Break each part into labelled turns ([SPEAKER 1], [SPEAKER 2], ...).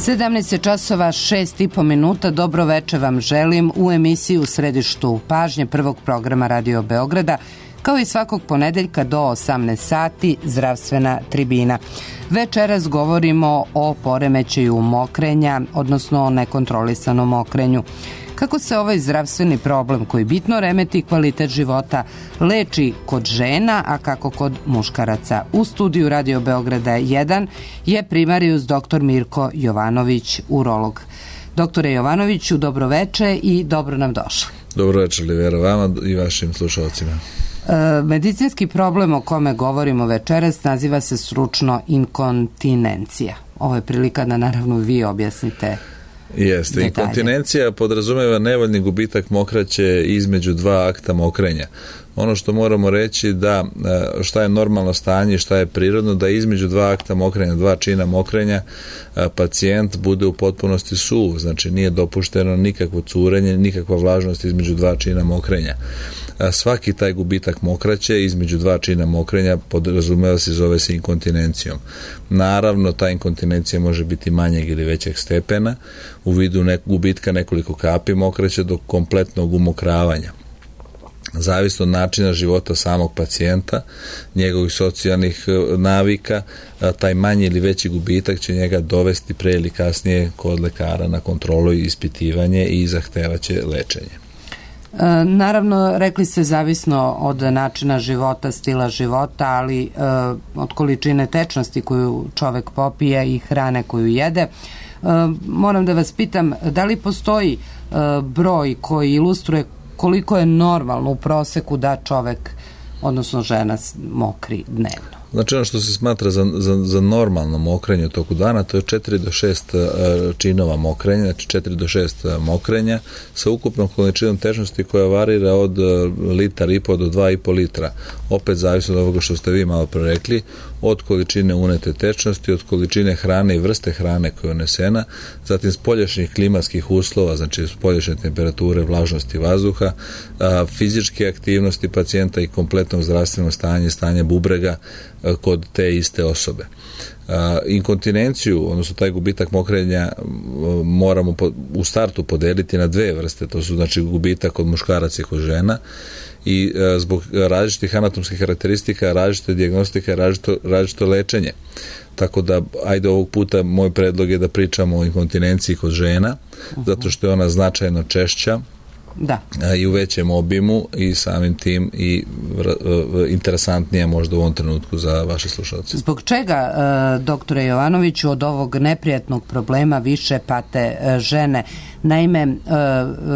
[SPEAKER 1] 17 časova 6,5 minuta. Dobro veče vam želim u emisiji U središtu pažnje prvog programa Radio Beograda, kao i svakog ponedeljka do 18 sati zdravstvena tribina. Večeras govorimo o poremećaju mokrenja, odnosno o nekontrolisanom mokrenju. Kako se ovaj zdravstveni problem koji bitno remeti kvalitet života leči kod žena, a kako kod muškaraca? U studiju Radio Beograda 1 je primarijus dr. Mirko Jovanović, urolog. Doktore Jovanoviću, dobro veče i dobro nam došli.
[SPEAKER 2] Dobro veče, Livera, vama i vašim slušalcima.
[SPEAKER 1] Medicinski problem o kome govorimo večeras naziva se stručno inkontinencija. Ovo je prilika da naravno vi objasnite.
[SPEAKER 2] Jeste, inkontinencija podrazumeva nevoljni gubitak mokraće između dva akta mokrenja. Ono što moramo reći da šta je normalno stanje i šta je prirodno, da između dva akta mokrenja, dva čina mokrenja, pacijent bude u potpunosti suv, znači nije dopušteno nikakvo curenje, nikakva vlažnost između dva čina mokrenja. Svaki taj gubitak mokraće između dva čina mokrenja podrazumeva se i zove se inkontinencijom. Naravno, ta inkontinencija može biti manjeg ili većeg stepena u vidu gubitka nekoliko kapi mokraće do kompletnog umokravanja. Zavisno od načina života samog pacijenta, njegovih socijalnih navika, taj manji ili veći gubitak će njega dovesti pre ili kasnije kod lekara na kontrolu i ispitivanje i zahtevaće lečenje.
[SPEAKER 1] Naravno, rekli ste zavisno od načina života, stila života, ali od količine tečnosti koju čovek popije i hrane koju jede. Moram da vas pitam, da li postoji broj koji ilustruje koliko je normalno u proseku da čovek, odnosno žena, mokri dnevno?
[SPEAKER 2] Znači ono što se smatra za normalno mokrenje u toku dana, to je 4 do 6 činova mokrenja, znači 4 do 6 mokrenja sa ukupnom količinom tečnosti koja varira od litar i po do 2,5 litra. Opet zavisno od ovoga što ste vi malo pre rekli, od količine unete tečnosti, od količine hrane i vrste hrane koja je unesena, zatim spoljašnjih klimatskih uslova, znači spoljašnje temperature, vlažnosti vazduha, fizičke aktivnosti pacijenta i kompletnog zdravstvenog stanja bubrega kod te iste osobe. Inkontinenciju, odnosno taj gubitak mokrenja, moramo u startu podeliti na dve vrste. To su znači gubitak kod muškaraca i kod žena i zbog različitih anatomskih karakteristika, različite dijagnostike, različito lečenje. Tako da, ajde ovog puta moj predlog je da pričamo o inkontinenciji kod žena, zato što je ona značajno češća. Da. I u većem obimu i samim tim i interesantnija možda u ovom trenutku za vaše slušalce.
[SPEAKER 1] Zbog čega, doktore Jovanoviću, od ovog neprijatnog problema više pate žene? Naime,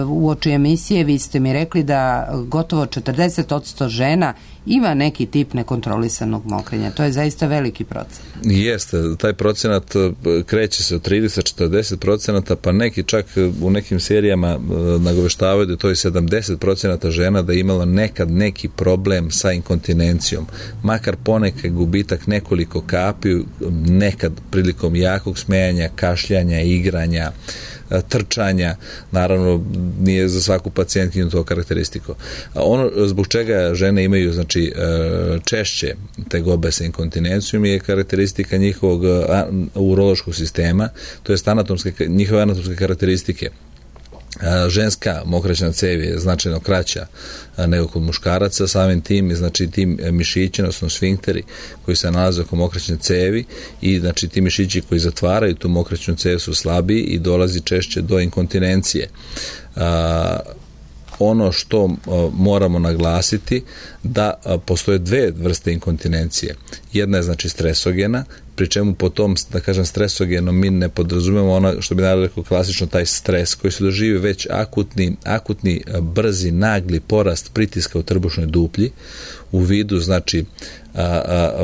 [SPEAKER 1] uoči emisije vi ste mi rekli da gotovo 40% žena ima neki tip nekontrolisanog mokrenja. To je zaista veliki procenat.
[SPEAKER 2] Jeste, taj procenat kreće se od 30-40%, pa neki čak u nekim serijama nagoveštavaju da to je 70% žena da je imalo nekad neki problem sa inkontinencijom. Makar ponekad gubitak nekoliko kapi, nekad prilikom jakog smejanja, kašljanja, igranja, trčanja, naravno nije za svaku pacijentkinju to karakteristiko. Ono zbog čega žene imaju znači češće tegobe sa inkontinencijom je karakteristika njihovog urološkog sistema, to je njihove anatomske karakteristike. Ženska mokraćna cev je značajno kraća nego kod muškaraca, samim tim, znači tim mišići, odnosno sfinkteri koji se nalaze oko mokraćne cevi i znači ti mišići koji zatvaraju tu mokraćnu cev su slabiji i dolazi češće do inkontinencije. Ono što moramo naglasiti da postoje dve vrste inkontinencije. Jedna je znači stresogena, pri čemu po tom, da kažem, stresogenom mi ne podrazumemo ono što bi naravno rekao klasično taj stres koji se doživi već akutni brzi, nagli porast pritiska u trbušnoj duplji u vidu znači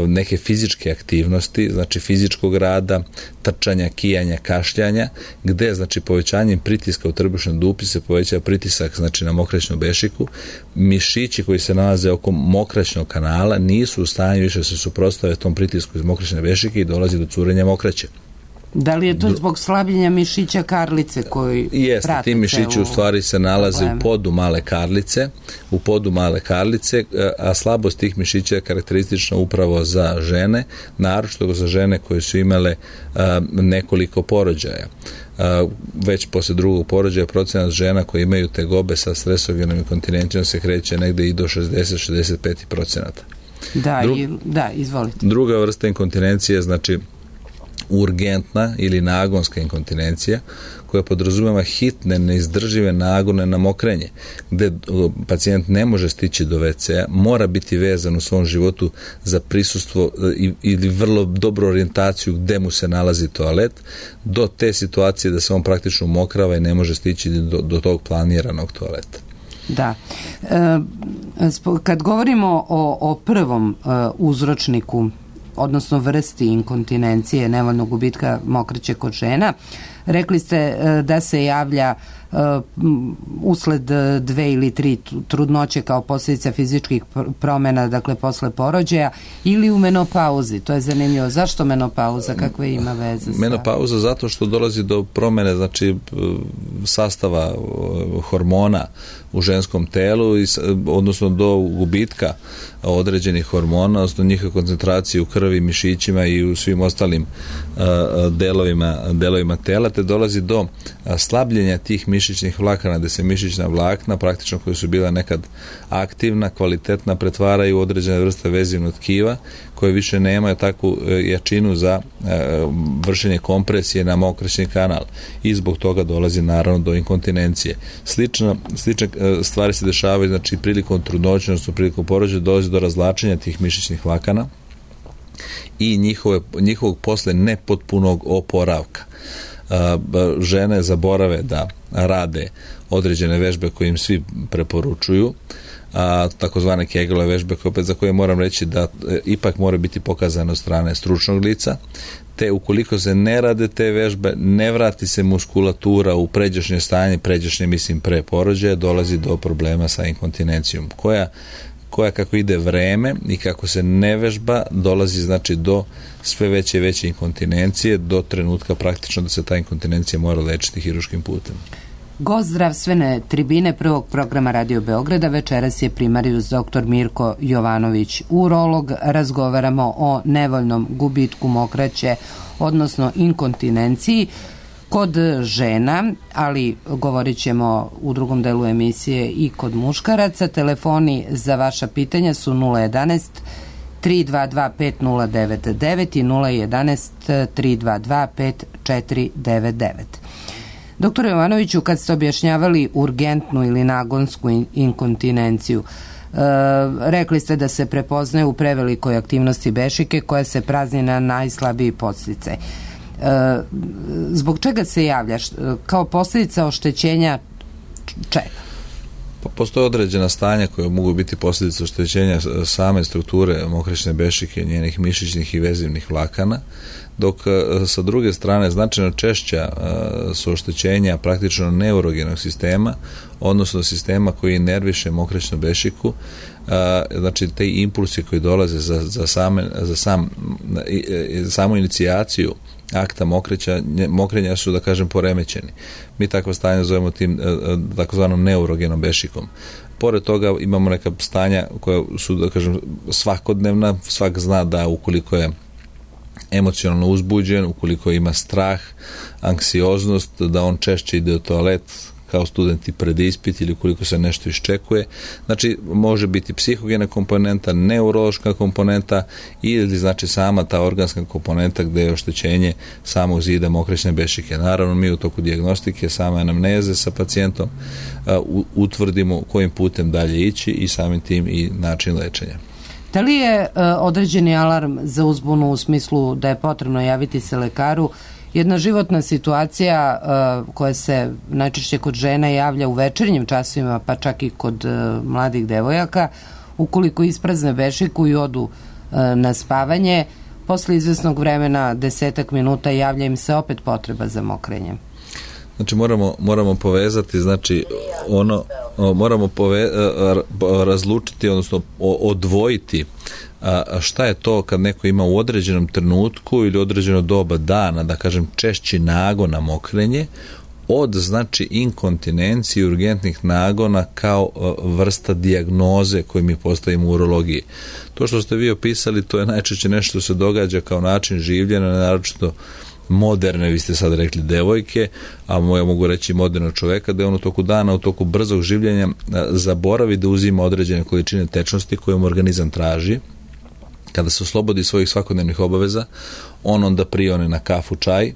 [SPEAKER 2] neke fizičke aktivnosti, znači fizičkog rada, trčanja, kijanja, kašljanja, gde znači povećanjem pritiska u trbušnoj duplji se povećava pritisak znači na mokraćnu bešiku. Mišići koji se nalaze oko mokraćnog kanala nisu u stanju više se suprotstave tom pritisku iz mokraćne bešike i dolazi do curenja mokraće.
[SPEAKER 1] Da li je to zbog slabljenja mišića karlice koji
[SPEAKER 2] jeste, ti mišići u stvari se nalaze u podu male karlice, a slabost tih mišića je karakteristična upravo za žene, naročito za žene koje su imale nekoliko porođaja. Već posle drugog porođaja procenat žena koji imaju tegobe sa stresogenom inkontinencijom se kreće negde i do 60-65%.
[SPEAKER 1] Da, izvolite.
[SPEAKER 2] Druga vrsta inkontinencije, znači urgentna ili nagonska inkontinencija, koja podrazumeva hitne, neizdržive nagone na mokrenje, gde pacijent ne može stići do WC-a, mora biti vezan u svom životu za prisustvo ili vrlo dobru orijentaciju gde mu se nalazi toalet, do te situacije da se on praktično mokrava i ne može stići do tog planiranog toaleta.
[SPEAKER 1] Da. Kad govorimo o prvom uzročniku, odnosno vrsti inkontinencije, nevoljnog gubitka mokraće kod žena, rekli ste da se javlja usled 2 ili 3 trudnoće kao posljedica fizičkih promjena, dakle posle porođaja, ili u menopauzi. To je zanimljivo. Zašto menopauza? Kakve ima veze sa...
[SPEAKER 2] Menopauza zato što dolazi do promjene, znači sastava hormona u ženskom telu, odnosno do gubitka određenih hormona, odnosno njihove koncentracije u krvi, mišićima i u svim ostalim delovima tela, te dolazi do slabljenja tih mišićnih vlakana, gde se mišićna vlakna, praktično koja su bila nekad aktivna, kvalitetna, pretvaraju u određene vrste vezivnog tkiva, koje više nemaju takvu jačinu za vršenje kompresije na mokraćni kanal i zbog toga dolazi naravno do inkontinencije. Slične stvari se dešavaju, znači prilikom trudnoće, odnosno prilikom porođaja dolazi do razvlačenja tih mišićnih vlakana i njihovog posle nepotpunog oporavka. Žene zaborave da rade određene vežbe koje im svi preporučuju, takozvane Kegelove vežbe, za koje moram reći da ipak mora biti pokazano od strane stručnog lica, te ukoliko se ne rade te vežbe, ne vrati se muskulatura u pređašnje stanje, mislim pre porođaja, dolazi do problema sa inkontinencijom, koja kako ide vreme i kako se ne vežba, dolazi znači do sve veće i veće inkontinencije, do trenutka praktično da se ta inkontinencija mora lečiti hiruškim putem.
[SPEAKER 1] Gost zdravstvene tribine prvog programa Radio Beograda večeras je primarijus dr. Mirko Jovanović, urolog. Razgovaramo o nevoljnom gubitku mokraće, odnosno inkontinenciji kod žena, ali govorit ćemo u drugom delu emisije i kod muškaraca. Telefoni za vaša pitanja su 011 322 5099 i 011 322 5499. Doktor Jovanoviću, kad ste objašnjavali urgentnu ili nagonsku inkontinenciju, rekli ste da se prepoznaje u prevelikoj aktivnosti bešike koja se prazni na najslabiji podsticaj. Zbog čega se javlja? Kao posljedica oštećenja čega?
[SPEAKER 2] Postoje određena stanja koja mogu biti posljedica oštećenja same strukture mokraćne bešike, njenih mišićnih i vezivnih vlakana, dok sa druge strane značajno češća su oštećenja praktično neurogenog sistema, odnosno sistema koji nerviše mokraćnu bešiku, znači te impulsi koji dolaze za samu inicijaciju akta mokrenja su, da kažem, poremećeni. Mi takvo stanje zovemo tim takozvanom neurogenom bešikom. Pored toga imamo neka stanja koja su, da kažem, svakodnevna. Svak zna da ukoliko je emocionalno uzbuđen, ukoliko ima strah, anksioznost, da on češće ide u toalet kao studenti pred ispit ili ukoliko se nešto iščekuje. Znači, može biti psihogena komponenta, neurološka komponenta ili znači sama ta organska komponenta gde je oštećenje samog zida mokraćne bešike. Naravno, mi u toku dijagnostike, same anamneze sa pacijentom utvrdimo kojim putem dalje ići i samim tim i način lečenja.
[SPEAKER 1] Da li je određeni alarm za uzbunu u smislu da je potrebno javiti se lekaru jedna životna situacija koja se najčešće kod žena javlja u večernjim časovima, pa čak i kod mladih devojaka, ukoliko isprazne bešiku i odu na spavanje, posle izvesnog vremena, 10 minuta, javlja im se opet potreba za mokrenjem?
[SPEAKER 2] Znači moramo povezati, znači moramo razlučiti, odnosno odvojiti šta je to kad neko ima u određenom trenutku ili određeno doba dana, da kažem, češći nagon na mokrenje, od, znači, inkontinencije i urgentnih nagona kao vrsta dijagnoze koju mi postavimo u urologiji. To što ste vi opisali, to je najčešće nešto što se događa kao način življenja, naročito moderne, vi ste sad rekli devojke, a ja mogu reći modernog čoveka, da je on u toku dana, u toku brzog življenja zaboravi da uzima određene količine tečnosti koje mu organizam traži. Kada se oslobodi svojih svakodnevnih obaveza, on onda prione na kafu, čaj,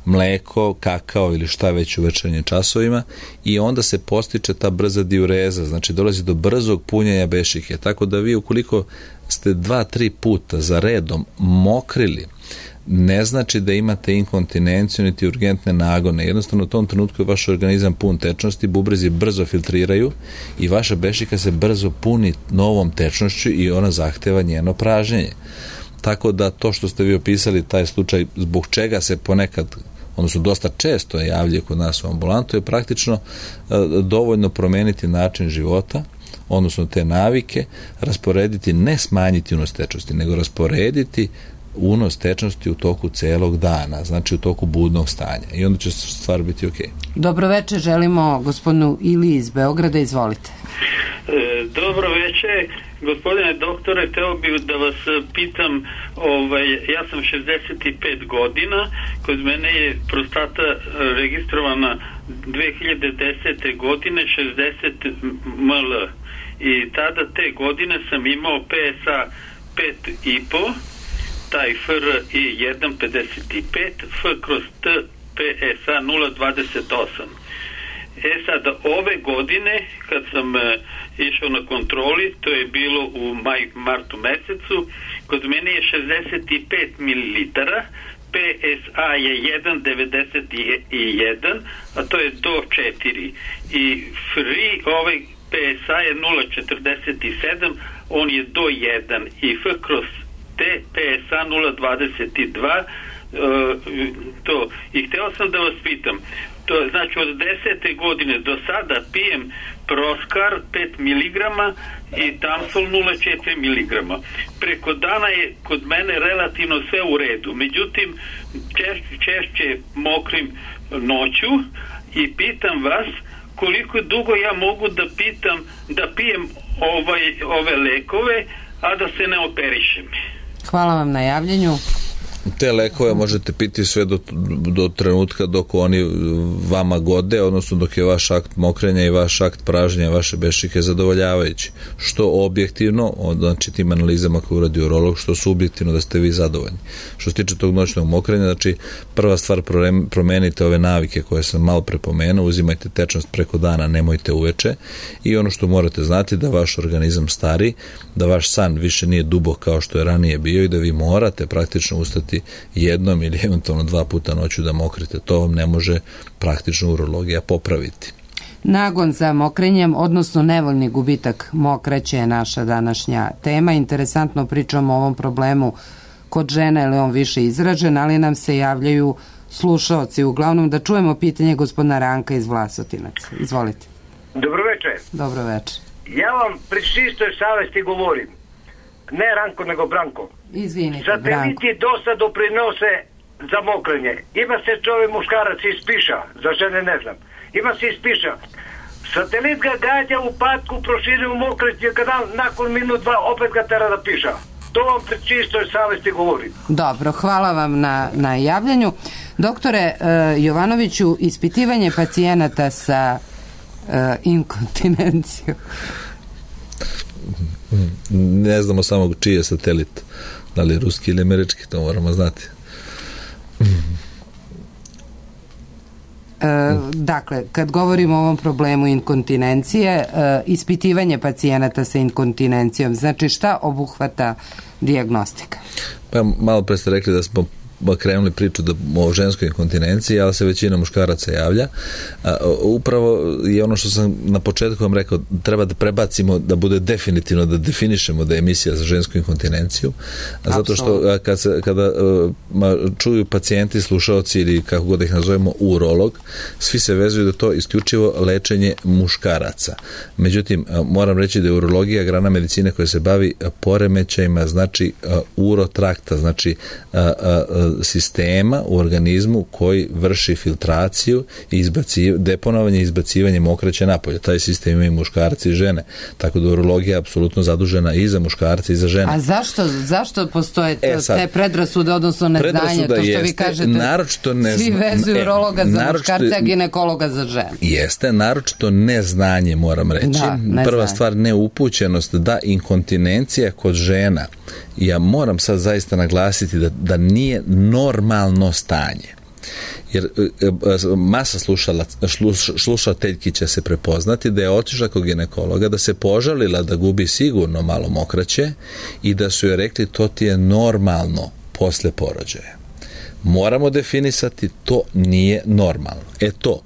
[SPEAKER 2] mleko, kakao ili šta već u večernjim časovima, i onda se postiče ta brza diureza, znači dolazi do brzog punjenja bešike. Tako da vi, ukoliko ste 2-3 puta za redom mokrili, ne znači da imate inkontinenciju niti urgentne nagone. Jednostavno u tom trenutku je vaš organizam pun tečnosti, bubrezi brzo filtriraju i vaša bešika se brzo puni novom tečnošću i ona zahteva njeno pražnjenje. Tako da to što ste vi opisali, taj slučaj zbog čega se ponekad, odnosno dosta često javlja kod nas u ambulantu, je praktično dovoljno promeniti način života, odnosno te navike, rasporediti, ne smanjiti unos tečnosti, nego rasporediti unos tečnosti u toku celog dana, znači u toku budnog stanja, i onda će stvar biti ok.
[SPEAKER 1] Dobro večer, želimo gospodinu Ili iz Beograda, izvolite.
[SPEAKER 3] Dobro večer, gospodine doktore, teo bih da vas pitam, ja sam 65 godina, kod mene je prostata registrovana 2010. godine 60 ml i tada te godine sam imao PSA 5,5, taj FRI 1,55, F kroz T PSA 0,28. Sad, ove godine, kad sam išao na kontroli, to je bilo u martu mesecu, kod mene je 65 ml, PSA je 1,91, a to je do 4. I FRI, PSA je 0,47, on je do 1. I F kroz T, PSA 0,22, to. I hteo sam da vas pitam, to znači od 10. godine do sada pijem Proskar 5 mg i Tamsol 0,4 mg. Preko dana je kod mene relativno sve u redu, međutim češće mokrim noću i pitam vas koliko dugo ja mogu da pijem ove lekove, a da se ne operišem.
[SPEAKER 1] Hvala vam na javljanju.
[SPEAKER 2] Te lekove možete piti sve do trenutka dok oni vama gode, odnosno dok je vaš akt mokrenja i vaš akt pražnja vaše bešike zadovoljavajući. Što objektivno, znači tim analizama koje uradi urolog, što subjektivno da ste vi zadovoljni. Što se tiče tog noćnog mokrenja, znači prva stvar, promenite ove navike koje sam malo prepomenuo, uzimajte tečnost preko dana, nemojte uveče, i ono što morate znati da vaš organizam stari, da vaš san više nije dubok kao što je ranije bio i da vi morate praktično ustati jednom ili eventualno 2 puta noću da mokrite. To vam ne može praktično urologija popraviti.
[SPEAKER 1] Nagon za mokrenjem, odnosno nevoljni gubitak mokraće je naša današnja tema. Interesantno pričamo o ovom problemu kod žena, jer je on više izražen, ali nam se javljaju slušaoci. Uglavnom da čujemo pitanje gospodina Ranka iz Vlasotinaca. Izvolite.
[SPEAKER 4] Dobro večer.
[SPEAKER 1] Dobro večer.
[SPEAKER 4] Ja vam pri čistoj savesti govorim. Ne Ranko, nego Branko.
[SPEAKER 1] Izvinite, Branko.
[SPEAKER 4] Sateliti dosta doprinose za mokrenje. Ima se čovjek muškarac ispiša, za žene ne znam. Ima se ispiša. Satelit ga gađa u patku, proširi u mokreće, kada nakon minut 2 opet ga tera da piša. To vam pri čistoj savesti govorim.
[SPEAKER 1] Dobro, hvala vam na javljanju. Doktore Jovanoviću, ispitivanje pacijenata sa inkontinencijom.
[SPEAKER 2] Ne znamo samo čiji je satelit, da li je ruski ili američki, to moramo znati.
[SPEAKER 1] Dakle, kad govorimo o ovom problemu inkontinencije, ispitivanje pacijenata sa inkontinencijom, znači šta obuhvata dijagnostika?
[SPEAKER 2] Pa malo pre ste rekli da smo krenuli priču o ženskoj inkontinenciji, ali se većina muškaraca javlja. Upravo je ono što sam na početku vam rekao, treba da prebacimo, da bude definitivno, da definišemo da je emisija za žensku inkontinenciju, zato što kada čuju pacijenti, slušaoci ili kako god ih nazovemo, urolog, svi se vezuju da to isključivo lečenje muškaraca. Međutim, moram reći da je urologija grana medicine koja se bavi poremećajima, znači urotrakta, znači sistema u organizmu koji vrši filtraciju i deponovanje i izbacivanje mokraće napolje. Taj sistem imaju muškarci i žene. Tako da urologija je apsolutno zadužena i za muškarce i za žene.
[SPEAKER 1] A zašto postoje te predrasude, odnosno neznanje, to što vi kažete, svi vezuju urologa za muškarce, a ginekologa za žene?
[SPEAKER 2] Jeste, naročito neznanje, moram reći. Prva stvar, neupućenost, da inkontinencija kod žena, ja moram sad zaista naglasiti da nije normalno stanje. Jer masa slušateljki će se prepoznati da je otišla kod ginekologa, da se požalila da gubi sigurno malo mokraće i da su joj rekli to ti je normalno posle porođaja. Moramo definisati, to nije normalno. To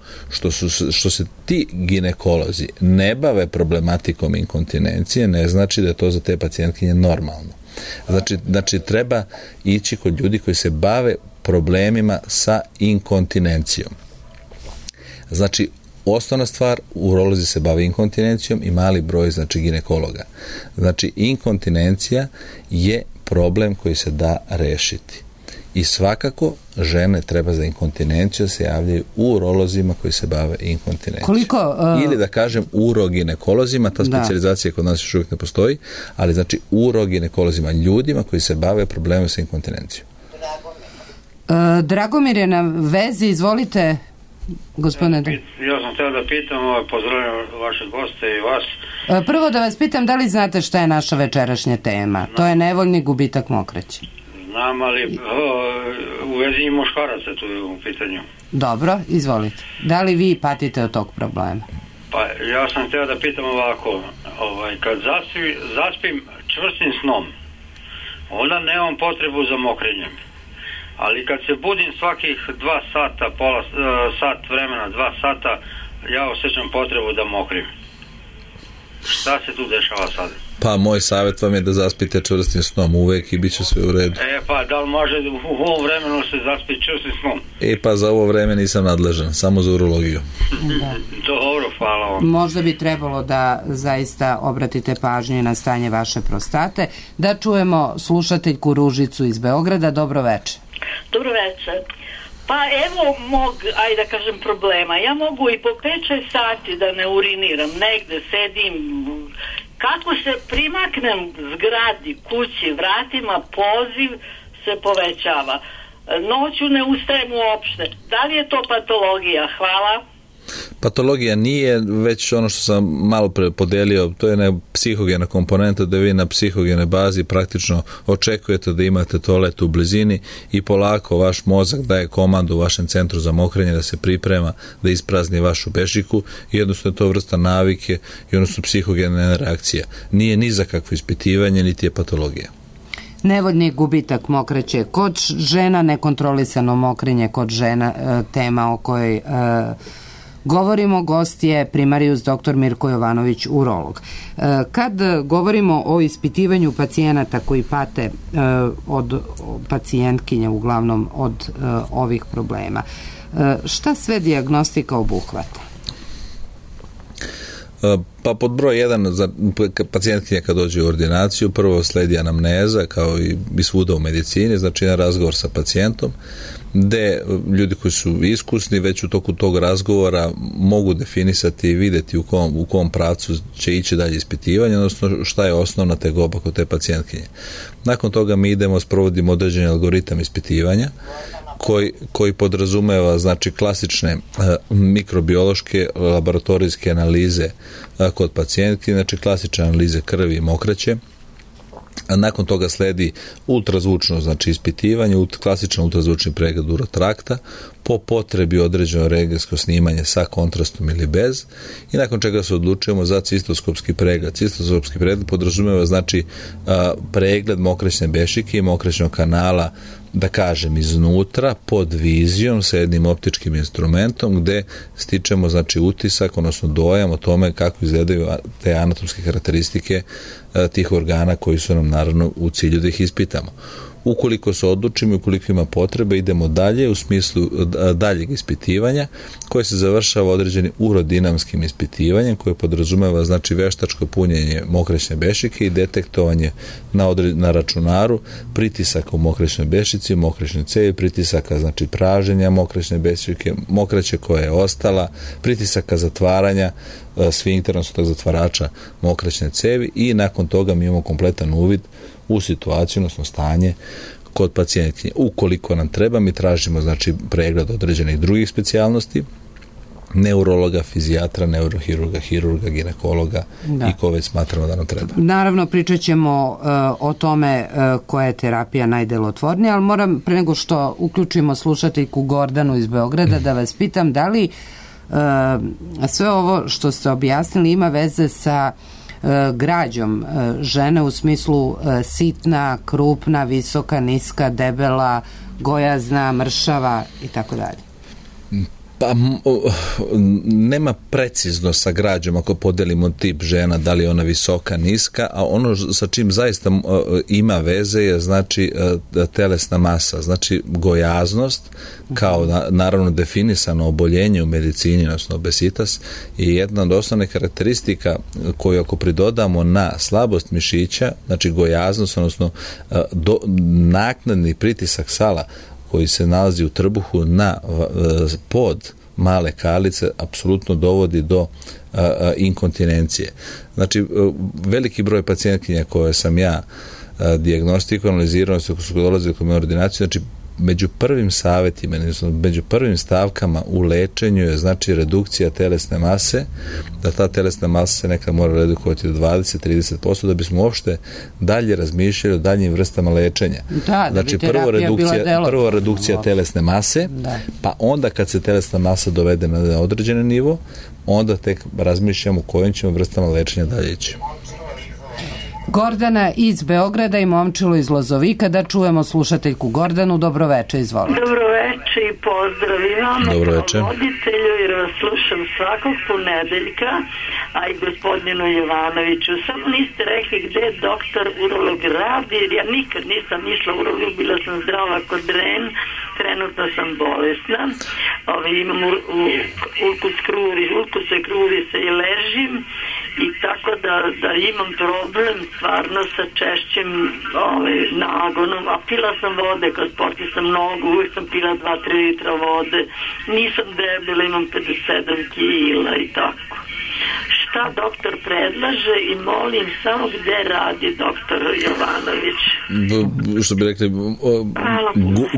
[SPEAKER 2] što se ti ginekolozi ne bave problematikom inkontinencije, ne znači da je to za te pacijentkinje normalno. Znači treba ići kod ljudi koji se bave problemima sa inkontinencijom. Znači, osnovna stvar, urolozi se bave inkontinencijom i mali broj, znači, ginekologa. Znači, inkontinencija je problem koji se da rešiti. I svakako žene treba za inkontinenciju se javljaju urolozima koji se bave inkontinencijom. Ili da kažem uroginekolozima, ta specijalizacija kod nas još uvijek ne postoji, ali znači uroginekolozima, ljudima koji se bave problemom sa inkontinencijom.
[SPEAKER 1] Dragomir je na vezi, izvolite, gospodine.
[SPEAKER 3] Ja sam htio da pitam, pozdravljam vaše goste i vas.
[SPEAKER 1] Prvo da vas pitam, da li znate šta je naša večerašnja tema? To je nevoljni gubitak mokraće.
[SPEAKER 3] Znam, ali u vezi muškaraca tu je u pitanju.
[SPEAKER 1] Dobro, izvolite. Da li vi patite od tog problema?
[SPEAKER 3] Pa ja sam htio da pitam ovako, kad zaspim čvrstim snom, onda nemam potrebu za mokrenjem. Ali kad se budim svakih 2 sata, sat vremena, 2 sata, ja osjećam potrebu da mokrim. Šta se tu dešava sad?
[SPEAKER 2] Pa moj savjet vam je da zaspite čvrstim snom uvek i bit će sve u redu.
[SPEAKER 3] Pa da li može u ovom vremenu se zaspiti čvrstim snom?
[SPEAKER 2] Pa za ovo vreme nisam nadležan, samo za urologiju.
[SPEAKER 3] Dobro, hvala vam.
[SPEAKER 1] Možda bi trebalo da zaista obratite pažnju na stanje vaše prostate. Da čujemo slušateljku Ružicu iz Beograda. Dobro večer.
[SPEAKER 5] Dobro večer. Pa evo mog, ajde da kažem, problema. Ja mogu i po 5-6 sati da ne uriniram, negde sedim. Kako se primaknem zgradi, kući, vratima, poziv se povećava. Noću ne ustajem uopšte. Da li je to patologija? Hvala.
[SPEAKER 2] Patologija nije, već ono što sam malo pre podelio, to je psihogena komponenta, da vi na psihogene bazi praktično očekujete da imate toalet u blizini i polako vaš mozak daje komandu vašem centru za mokrenje da se priprema da isprazni vašu bežiku i jednostavno je to vrsta navike i odnosno psihogena reakcija. Nije ni za kakvo ispitivanje, niti je patologija.
[SPEAKER 1] Nevoljni gubitak mokraće kod žena, nekontrolisano mokrenje kod žena, tema o kojoj govorimo. Gost je primarijus dr. Mirko Jovanović, urolog. Kad govorimo o ispitivanju pacijenata koji pate od pacijentkinja, uglavnom od ovih problema, šta sve dijagnostika obuhvata?
[SPEAKER 2] Pa pod broj 1 za pacijentkinja kad dođe u ordinaciju, prvo sledi anamneza kao i svuda u medicini, znači jedan razgovor sa pacijentom gde ljudi koji su iskusni već u toku tog razgovora mogu definisati i videti u kom pravcu će ići dalje ispitivanje, odnosno šta je osnovna tegoba kod te pacijentkinje. Nakon toga mi sprovodimo određeni algoritam ispitivanja koji podrazumeva znači klasične mikrobiološke laboratorijske analize kod pacijentki, znači klasične analize krvi i mokraće, A nakon toga sledi ultrazvučno, znači ispitivanje, klasičan ultrazvučni pregled urotrakta, po potrebi određeno rentgensko snimanje sa kontrastom ili bez, i nakon čega se odlučujemo za cistoskopski pregled. Cistoskopski pregled podrazumeva znači pregled mokraćne bešike i mokraćnog kanala, da kažem, iznutra, pod vizijom sa jednim optičkim instrumentom gde stičemo znači utisak, odnosno dojam o tome kako izgledaju te anatomske karakteristike tih organa koji su nam naravno u cilju da ih ispitamo. Ukoliko se odlučimo i ukoliko ima potrebe, idemo dalje u smislu daljeg ispitivanja koje se završava određenim urodinamskim ispitivanjem koje podrazumeva znači veštačko punjenje mokraćne bešike i detektovanje na računaru pritisaka u mokraćnoj bešici, mokraćnoj cevi, pritisaka znači praženja mokraćne bešike, mokraće koja je ostala, pritisaka zatvaranja sfinktera, odnosno zatvarača mokraćne cevi, i nakon toga mi imamo kompletan uvid u situaciju, odnosno stanje kod pacijentkinje. Ukoliko nam treba, mi tražimo znači pregled određenih drugih specijalnosti, neurologa, fizijatra, neurohirurga, hirurga, ginekologa i ko već smatramo da nam treba.
[SPEAKER 1] Naravno, pričat ćemo o tome koja je terapija najdelotvornija, ali moram, pre nego što uključimo slušateljku Gordanu iz Beograda, da vas pitam da li sve ovo što ste objasnili ima veze sa građom žene u smislu sitna, krupna, visoka, niska, debela, gojazna, mršava i tako dalje?
[SPEAKER 2] Pa nema precizno sa građom ako podelimo tip žena, da li je ona visoka, niska, a ono sa čim zaista ima veze je znači telesna masa, znači gojaznost kao naravno definisano oboljenje u medicini, odnosno obesitas, je jedna od osnovnih karakteristika koju ako pridodamo na slabost mišića, znači gojaznost, odnosno naknadni pritisak sala koji se nalazi u trbuhu na pod male kalice, apsolutno dovodi do inkontinencije. Znači, veliki broj pacijentkinja koje sam ja dijagnostikovao, analizirao, koji su dolazili kod moje ordinacije, znači među prvim savjetima, među prvim stavkama u lečenju je znači redukcija telesne mase, da ta telesna masa se nekad mora redukovati do 20-30% da bismo uopšte dalje razmišljali o daljim vrstama lečenja. Znači prvo redukcija telesne mase, pa onda kad se telesna masa dovede na određeni nivo, onda tek razmišljamo kojim ćemo vrstama lečenja dalje ići.
[SPEAKER 1] Gordana iz Beograda i Momčilo iz Lozovika. Da čujemo slušateljku Gordanu. Dobroveče, izvolite.
[SPEAKER 5] Dobroveče i pozdrav imam kao voditelju, jer vas slušam svakog ponedeljka, a i gospodinu Jovanoviću. Samo niste rekli gde doktor urolog radi, jer ja nikad nisam išla u urolog, bila sam zdrava kod Ren, trenutno sam bolesna, imam ulkuse kruvise i ležim, i tako da imam problem stvarno sa češćim nagonom, a pila sam vode kao sportista mnogo, uvijek sam pila 2-3 litra vode, nisam debela, imam 57 kila i tako. Šta doktor predlaže i molim samo gde radi doktor Jovanović?
[SPEAKER 2] Što bi rekli,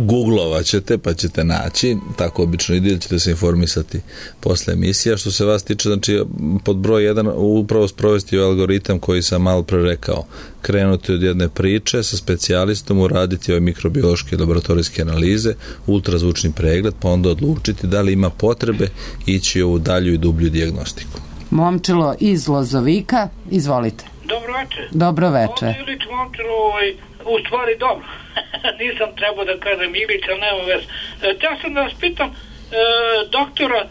[SPEAKER 2] googlovat ćete pa ćete naći, tako obično ide, ćete se informisati posle emisija. Što se vas tiče, znači pod broj 1 upravo sprovesti algoritam koji sam malo pre rekao, krenuti od jedne priče sa specijalistom, uraditi ove mikrobiološke laboratorijske analize, ultrazvučni pregled, pa onda odlučiti da li ima potrebe ići u dalju i dublju dijagnostiku.
[SPEAKER 1] Momčilo iz Lozovika, izvolite.
[SPEAKER 3] Dobroveče.
[SPEAKER 1] Dobroveče.
[SPEAKER 3] Ovdje Ilić Momčilo, u stvari dobro. Nisam trebao da kažem Ilić, ali nema veze. Ja sam da vas pitam, doktora,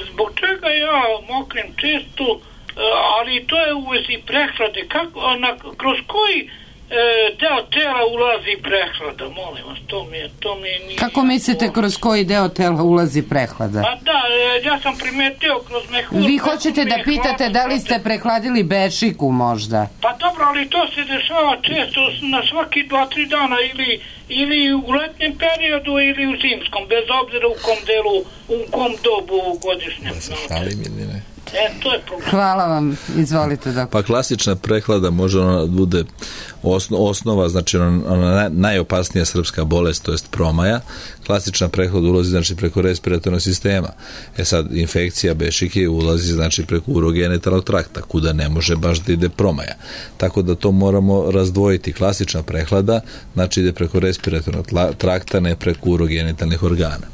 [SPEAKER 3] zbog čega ja mokrim često, ali to je u vezi prehlade. Kroz koji deo tela ulazi prehlada, molim vas, to mi nije...
[SPEAKER 1] Kako mislite kroz koji deo tela ulazi prehlada?
[SPEAKER 3] Pa da, ja sam primetio kroz mehur...
[SPEAKER 1] Vi hoćete da pitate da li ste prehladili bešiku možda?
[SPEAKER 3] Pa dobro, ali to se dešava često na svaki 2-3 dana ili u letnjem periodu ili u zimskom, bez obzira u kom delu, u kom dobu godišnjem.
[SPEAKER 2] Da se šalim ili ne?
[SPEAKER 5] To je problem.
[SPEAKER 1] Hvala vam, izvolite doktor.
[SPEAKER 2] Pa klasična prehlada može ona bude osnova, znači ona najopasnija srpska bolest, to jest promaja. Klasična prehlada ulazi znači preko respiratornog sistema. Sad infekcija bešike ulazi znači preko urogenitalnog trakta, kuda ne može baš da ide promaja. Tako da to moramo razdvojiti. Klasična prehlada znači ide preko respiratornog trakta, ne preko urogenitalnih organa.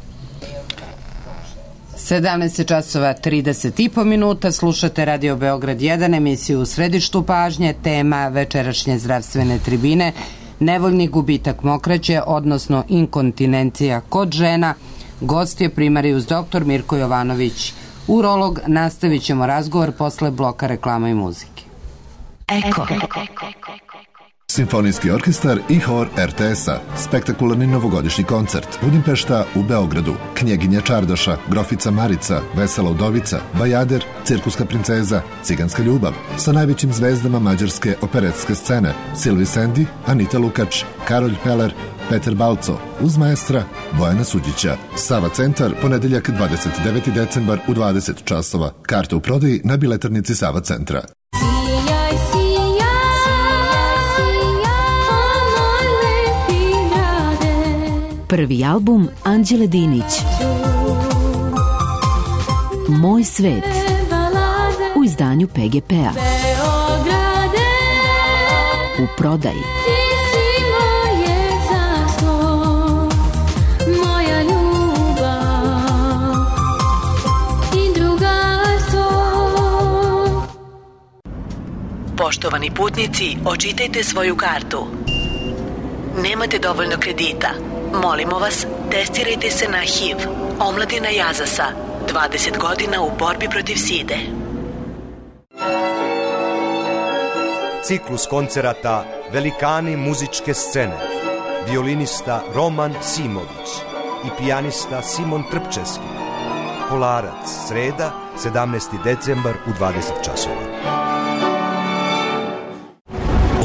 [SPEAKER 1] 17 časova 30,5 minuta, slušate Radio Beograd 1, emisiju U središtu pažnje, tema večerašnje zdravstvene tribine, nevoljni gubitak mokraće, odnosno inkontinencija kod žena. Gost je primarijus dr. Mirko Jovanović, urolog. Nastavit ćemo razgovor posle bloka reklama i muzike.
[SPEAKER 6] Eko.
[SPEAKER 7] Simfonijski orkestar i hor RTS-a. Spektakularni novogodišnji koncert. Budimpešta u Beogradu. Knjeginja Čardaša, Grofica Marica, Vesela udovica, Bajader, Cirkuska princeza, Ciganska ljubav. Sa najvećim zvezdama mađarske operetske scene. Silvi Sendi, Anita Lukač, Karolj Peler, Peter Balco, uz maestra Bojana Suđića. Sava centar, ponedeljak 29. decembar u 20 časova. Karte u prodaji na biletarnici Sava centra.
[SPEAKER 6] Prvi album Anđele Dinić, Moj svet, u izdanju PGP-a. U prodaji.
[SPEAKER 8] Poštovani putnici, očitajte svoju kartu. Nemate dovoljno kredita. Molimo vas, testirajte se na HIV. Omladina Jazasa, 20 godina u borbi protiv side.
[SPEAKER 9] Ciklus koncerata Velikani muzičke scene. Violinista Roman Simović i pijanista Simon Trpčevski. Kolarac, sreda, 17. decembar u 20 časova.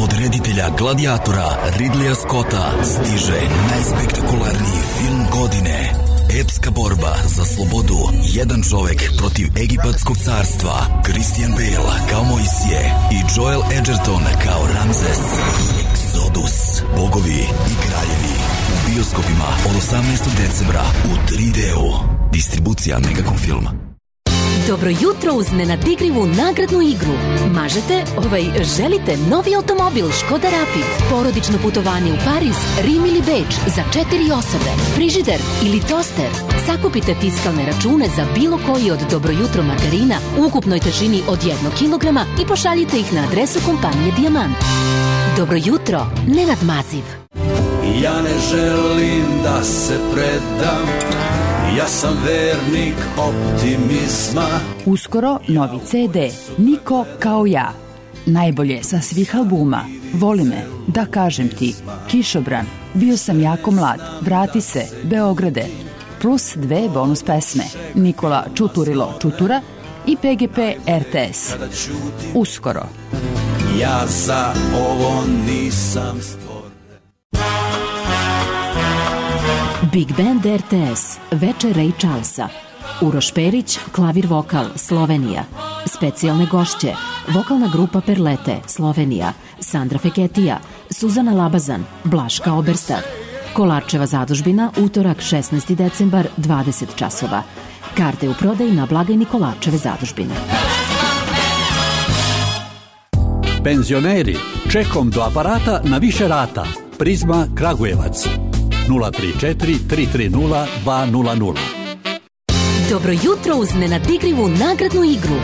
[SPEAKER 10] Od reditelja Gladiatora Ridleya Scotta stiže najspektakularniji film godine. Epska borba za slobodu. Jedan čovek protiv egipatskog carstva. Christian Bale kao Mojsije i Joel Edgerton kao Ramzes. Exodus. Bogovi i kraljevi. U bioskopima od 18. decembra u 3D-u. Distribucija Megacom filma.
[SPEAKER 6] Dobro jutro uz nenadigrivu nagradnu igru. Želite novi automobil Škoda Rapid, porodično putovanje u Pariz, Rim ili Beč za 4 osobe, frižider ili toster. Sakupite fiskalne račune za bilo koji od Dobro jutro margarina u ukupnoj težini od 1 kilograma i pošaljite ih na adresu kompanije Dijamant. Dobro jutro, Nenad Maziv.
[SPEAKER 11] Ja ne želim da se predam, ja sam vernik optimizma.
[SPEAKER 12] Uskoro novi CD, Niko kao ja. Najbolje sa svih albuma. Voli me, da kažem ti, Kišobran, bio sam jako mlad, vrati se, Beograde. Plus 2 bonus pesme, Nikola Čuturilo Čutura i PGP RTS. Uskoro.
[SPEAKER 11] Ja za ovo nisam stvoren.
[SPEAKER 6] Big Band RTS, večer Ray Charlesa. Uroš Perić, klavir vokal, Slovenija. Specijalne gošće, vokalna grupa Perlete, Slovenija. Sandra Feketija, Suzana Labazan, Blaška Oberstar. Kolarčeva zadužbina, utorak 16. decembar, 20 časova. Karte u prodaju na blagajni Kolarčeve zadužbine.
[SPEAKER 13] Penzioneri, čekom do aparata na više rata. Prizma Kragujevac. 034 330 200.
[SPEAKER 6] Dobro jutro uz nenadigrivu nagradnu igru.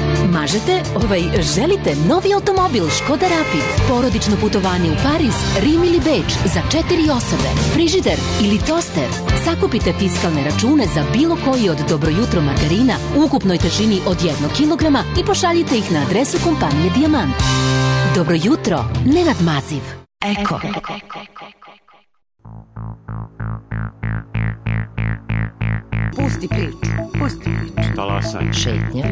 [SPEAKER 6] Želite novi automobil Škoda Rapid, porodično putovanje u Pariz, Rim ili Beč za 4 osobe, frižider ili toster. Sakupite fiskalne račune za bilo koji od Dobro jutro margarina u ukupnoj težini od 1 kilograma i pošaljite ih na adresu kompanije Dijamant. Dobro jutro, Nenad Maziv. Eko.
[SPEAKER 14] Pusti priču.
[SPEAKER 15] Talasaj.
[SPEAKER 14] Šetnja.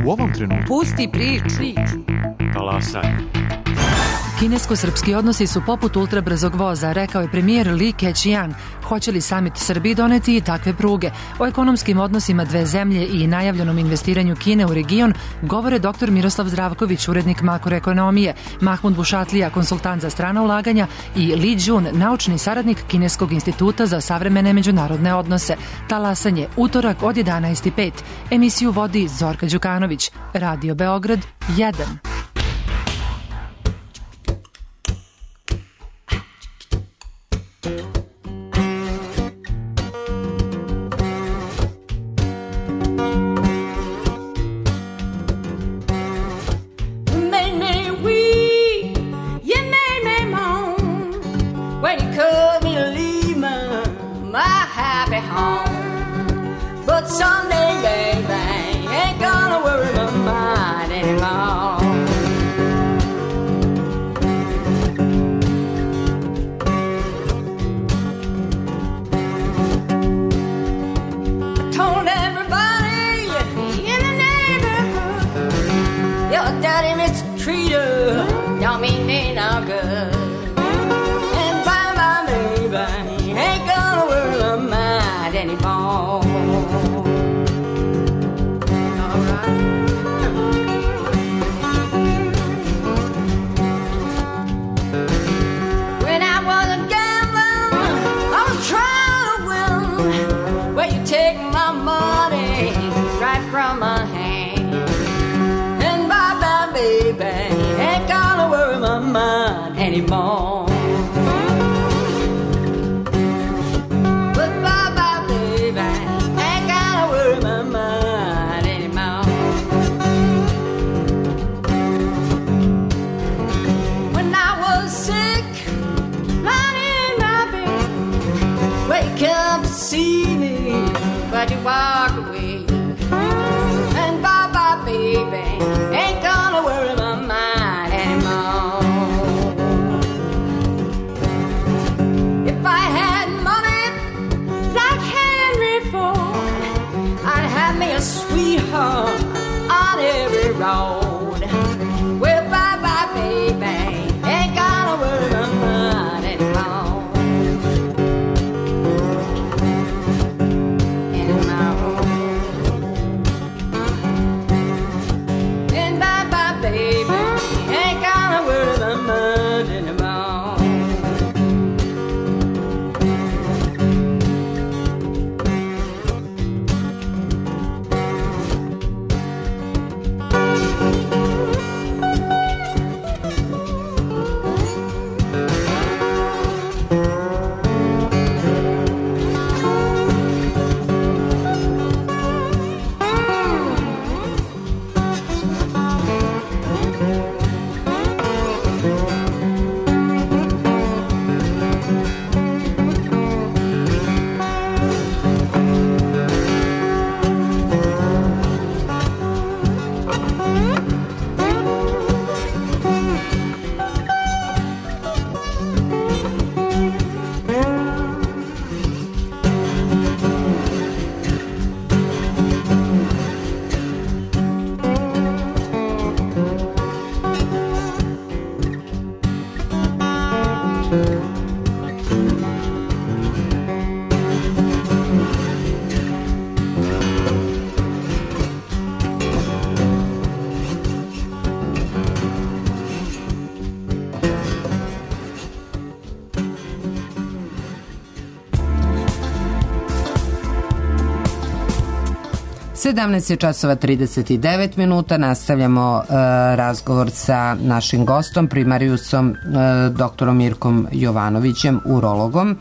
[SPEAKER 15] U ovom trenutku.
[SPEAKER 14] Pusti priču.
[SPEAKER 15] Talasaj.
[SPEAKER 16] Kinesko-srpski odnosi su poput ultrabrzog voza, rekao je premijer Li Keqiang. Hoće li samit Srbiji doneti i takve pruge? O ekonomskim odnosima dve zemlje i najavljenom investiranju Kine u region govore dr. Miroslav Zdravković, urednik makroekonomije, Mahmud Bušatlija, konsultant za strana ulaganja i Li Jun, naučni saradnik Kineskog instituta za savremene međunarodne odnose. Talasanje, utorak od 11:05. Emisiju vodi Zorka Đukanović. Radio Beograd 1.
[SPEAKER 17] But someday, baby, ain't gonna worry my mind anymore. I told everybody in the neighborhood, your daddy mistreated, don't mean they no good. And bye-bye, baby, ain't gonna worry my mind anymore. From my hand, and bye-bye, baby, ain't gonna worry my mind anymore. But bye-bye, baby, ain't gonna worry my mind anymore. When I was sick, lying in my bed, wake up to see me, but you walk away. And bye-bye, baby, ain't gonna worry my mind anymore. If I had money like Henry Ford, I'd have me a sweetheart on every road. Well, bye-bye, baby, ain't gonna worry my mind anymore.
[SPEAKER 1] časova 39 minuta. Nastavljamo razgovor sa našim gostom, primarijusom doktorom Mirkom Jovanovićem, urologom.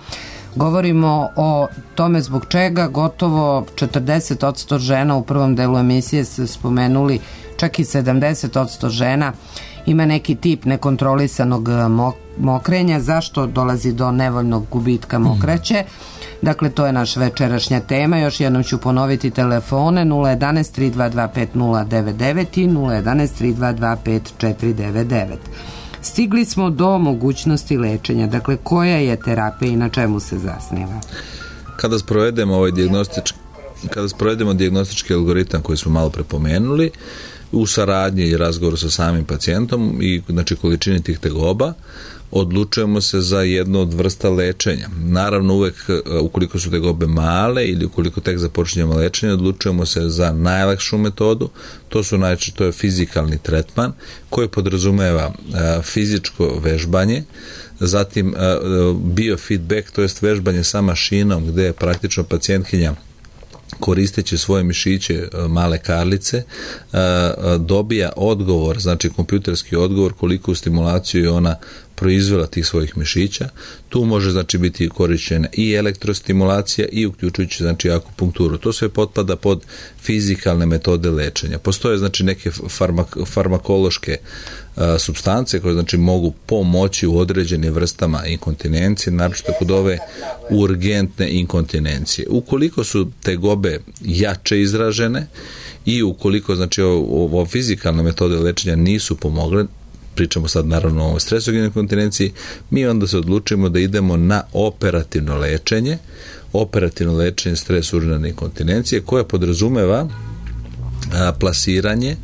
[SPEAKER 1] Govorimo o tome zbog čega gotovo 40% žena, u prvom delu emisije ste spomenuli, čak i 70% žena ima neki tip nekontrolisanog mokrenja. Zašto dolazi do nevoljnog gubitka mokraće? Dakle, to je naša večerašnja tema. Još jednom ću ponoviti telefone 011 322 5099 i 011 322 5499. Stigli smo do mogućnosti lečenja. Dakle, koja je terapija i na čemu se zasniva?
[SPEAKER 2] Kada sprovedemo dijagnostički algoritam koji smo malo prepomenuli, u saradnji i razgovoru sa samim pacijentom i znači količini tih tegoba odlučujemo se za jednu od vrsta lečenja. Naravno, uvek ukoliko su tegobe male ili ukoliko tek započinjemo lečenje, odlučujemo se za najlakšu metodu. To je fizikalni tretman koji podrazumeva fizičko vežbanje, zatim biofeedback, to jest vežbanje sa mašinom gde je praktično pacijentkinja koristeći svoje mišiće male karlice dobija odgovor, znači kompjuterski odgovor koliko stimulaciju je ona proizvela tih svojih mišića. Tu može znači biti korišćena i elektrostimulacija i uključujući znači akupunkturu. To sve potpada pod fizikalne metode lečenja. Postoje znači neke farmakološke supstance koje znači mogu pomoći u određenim vrstama inkontinencije, naročito kod ove urgentne inkontinencije. Ukoliko su tegobe jače izražene i ukoliko znači ovo fizikalne metode lečenja nisu pomogle, pričamo sad naravno o stresogenoj inkontinenciji, mi onda se odlučimo da idemo na operativno lečenje stres urinarne inkontinencije koje podrazumeva plasiranje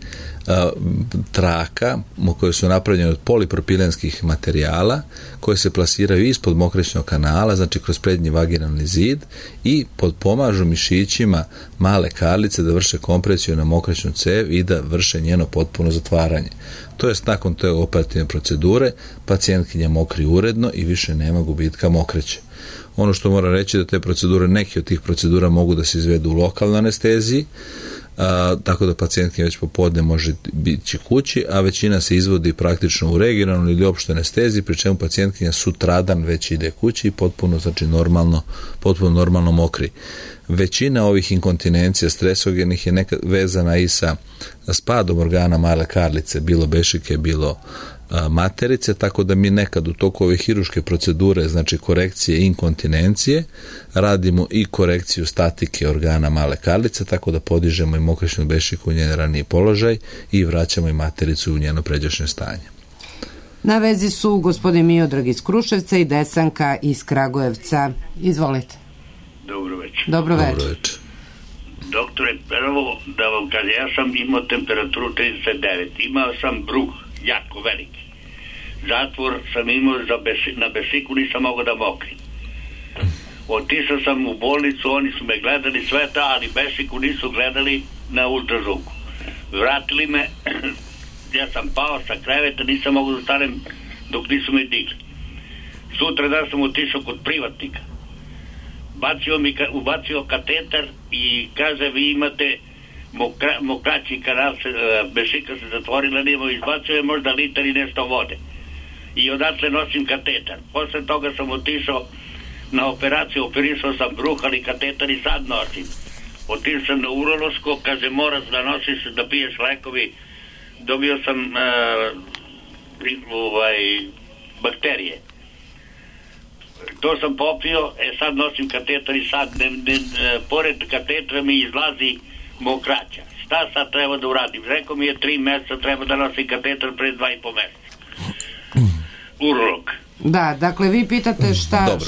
[SPEAKER 2] traka koje su napravljene od polipropilenskih materijala koje se plasiraju ispod mokraćnog kanala, znači kroz prednji vaginalni zid i potpomažu mišićima male karlice da vrše kompresiju na mokraćnu cev i da vrše njeno potpuno zatvaranje. To jest nakon te operativne procedure pacijentkinja mokri uredno i više nema gubitka mokraće. Ono što moram reći da te procedure, neke od tih procedura mogu da se izvedu u lokalnoj anesteziji, tako da pacijentkinja već popodne može biti kući, a većina se izvodi praktično u regionalnoj ili opštoj anesteziji, pri čemu pacijentkinja sutradan već ide kući i potpuno normalno mokri. Većina ovih inkontinencija stresogenih je nekad vezana i sa spadom organa male karlice, bilo bešike, bilo materice, tako da mi nekad u toku ove hiruške procedure, znači korekcije inkontinencije, radimo i korekciju statike organa male karlice, tako da podižemo i mokraćnu bešiku u njen raniji položaj i vraćamo i matericu u njeno pređašnje stanje.
[SPEAKER 1] Na vezi su gospodin Miodrag iz Kruševca i Desanka iz Kragujevca. Izvolite.
[SPEAKER 18] Dobro večer.
[SPEAKER 1] Dobro večer.
[SPEAKER 18] Doktore, prvo da vam kažem, ja sam imao temperaturu 39, imao sam bruh jako veliki. Zatvor sam imao na bešiku, nisam mogao da mokrim. Otišao sam u bolnicu, oni su me gledali sve to, ali bešiku nisu gledali na ultrazvuku. Vratili me, ja sam pao sa kreveta, nisam mogao da stanem dok nisu me digli. Sutra da sam otišao kod privatnika. Ubacio kateter i kaže vi imate mokraći kanal, bešika se zatvorila, nemo, izbacio je možda litar i nešto vode. I odatle nosim kateter. Posle toga sam otišao na operaciju, operisao sam bruh, ali kateter i sad nosim. Otišao sam na urološko, kaže moraš da nosiš, da piješ lekovi. Dobio sam bakterije. To sam popio, sad nosim kateter i sad pored katetra mi izlazi mokraća. Šta sad treba da uradim? Rekao mi je 3 meseca treba da nosim kateter pre 2,5 meseca. Urolog.
[SPEAKER 1] Da, dakle vi pitate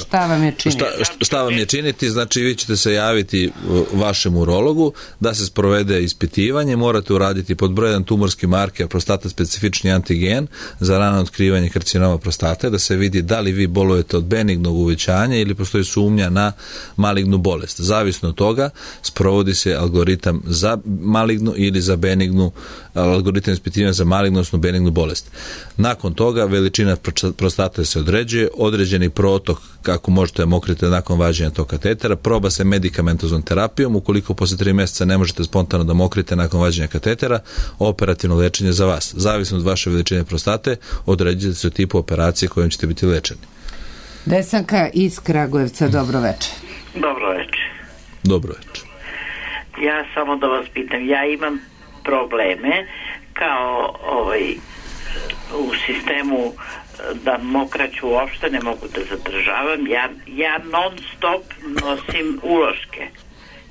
[SPEAKER 1] šta vam je činiti.
[SPEAKER 2] Šta vam je činiti, znači vi ćete se javiti vašem urologu da se sprovede ispitivanje, morate uraditi pod broj 1 tumorski marker prostata specifični antigen za rano otkrivanje karcinoma prostate, da se vidi da li vi bolujete od benignog uvećanja ili postoji sumnja na malignu bolest. Zavisno od toga sprovodi se algoritam za malignu ili za benignu, algoritam ispitivanja za malignu odnosno benignu bolest. Nakon toga veličina prostate se određuje, određeni protok kako možete mokriti nakon vađenja tog katetera, proba se medikamentoznom terapijom, ukoliko posle 3 meseca ne možete spontano da mokrite nakon vađenja katetera, operativno lečenje za vas. Zavisno od vaše veličine prostate, određujete se tipu operacije kojom ćete biti lečeni.
[SPEAKER 1] Desanka iz Kragujevca, dobro večer.
[SPEAKER 19] Dobro večer.
[SPEAKER 2] Dobro večer.
[SPEAKER 19] Ja samo da vas pitam, ja imam probleme kao u sistemu da mokraću uopšte ne mogu da zadržavam. Ja non stop nosim uloške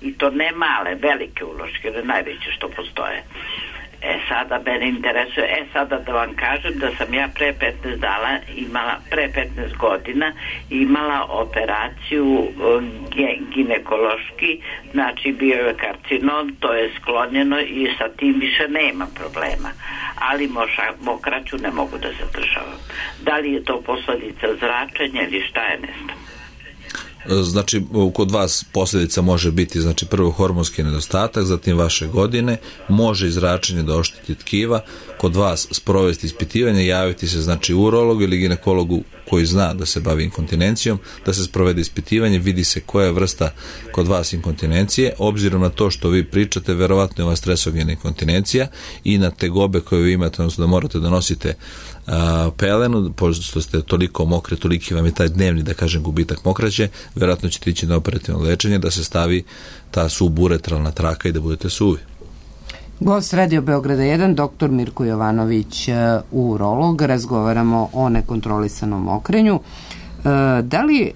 [SPEAKER 19] i to ne male, velike uloške, ne najveće što postoje. Sada mene interesuje, sada da vam kažem da sam ja pre 15 godina imala operaciju ginekološki, znači bio je karcinom, to je sklonjeno i sa tim više nema problema, ali mokraću ne mogu da zadržavam. Da li je to posljedica zračenja ili šta je, ne znam.
[SPEAKER 2] Znači, kod vas posljedica može biti, znači, prvo hormonski nedostatak, zatim vaše godine, može i zračenje da ošteti tkiva, kod vas sprovesti ispitivanje, javiti se, znači, urologu ili ginekologu koji zna da se bavi inkontinencijom, da se sprovede ispitivanje, vidi se koja je vrsta kod vas inkontinencije. Obzirom na to što vi pričate, verovatno je ova stresogena inkontinencija i na tegobe koje vi imate, odnosno da morate da nosite pelenu, pošto ste toliko mokre, toliki vam je taj dnevni, da kažem, gubitak mokraće, verovatno ćete ići na operativno lečenje da se stavi ta suburetralna traka i da budete suvi.
[SPEAKER 1] Gost Radio Beograda 1, dr. Mirko Jovanović, urolog. Razgovaramo o nekontrolisanom mokrenju. Da li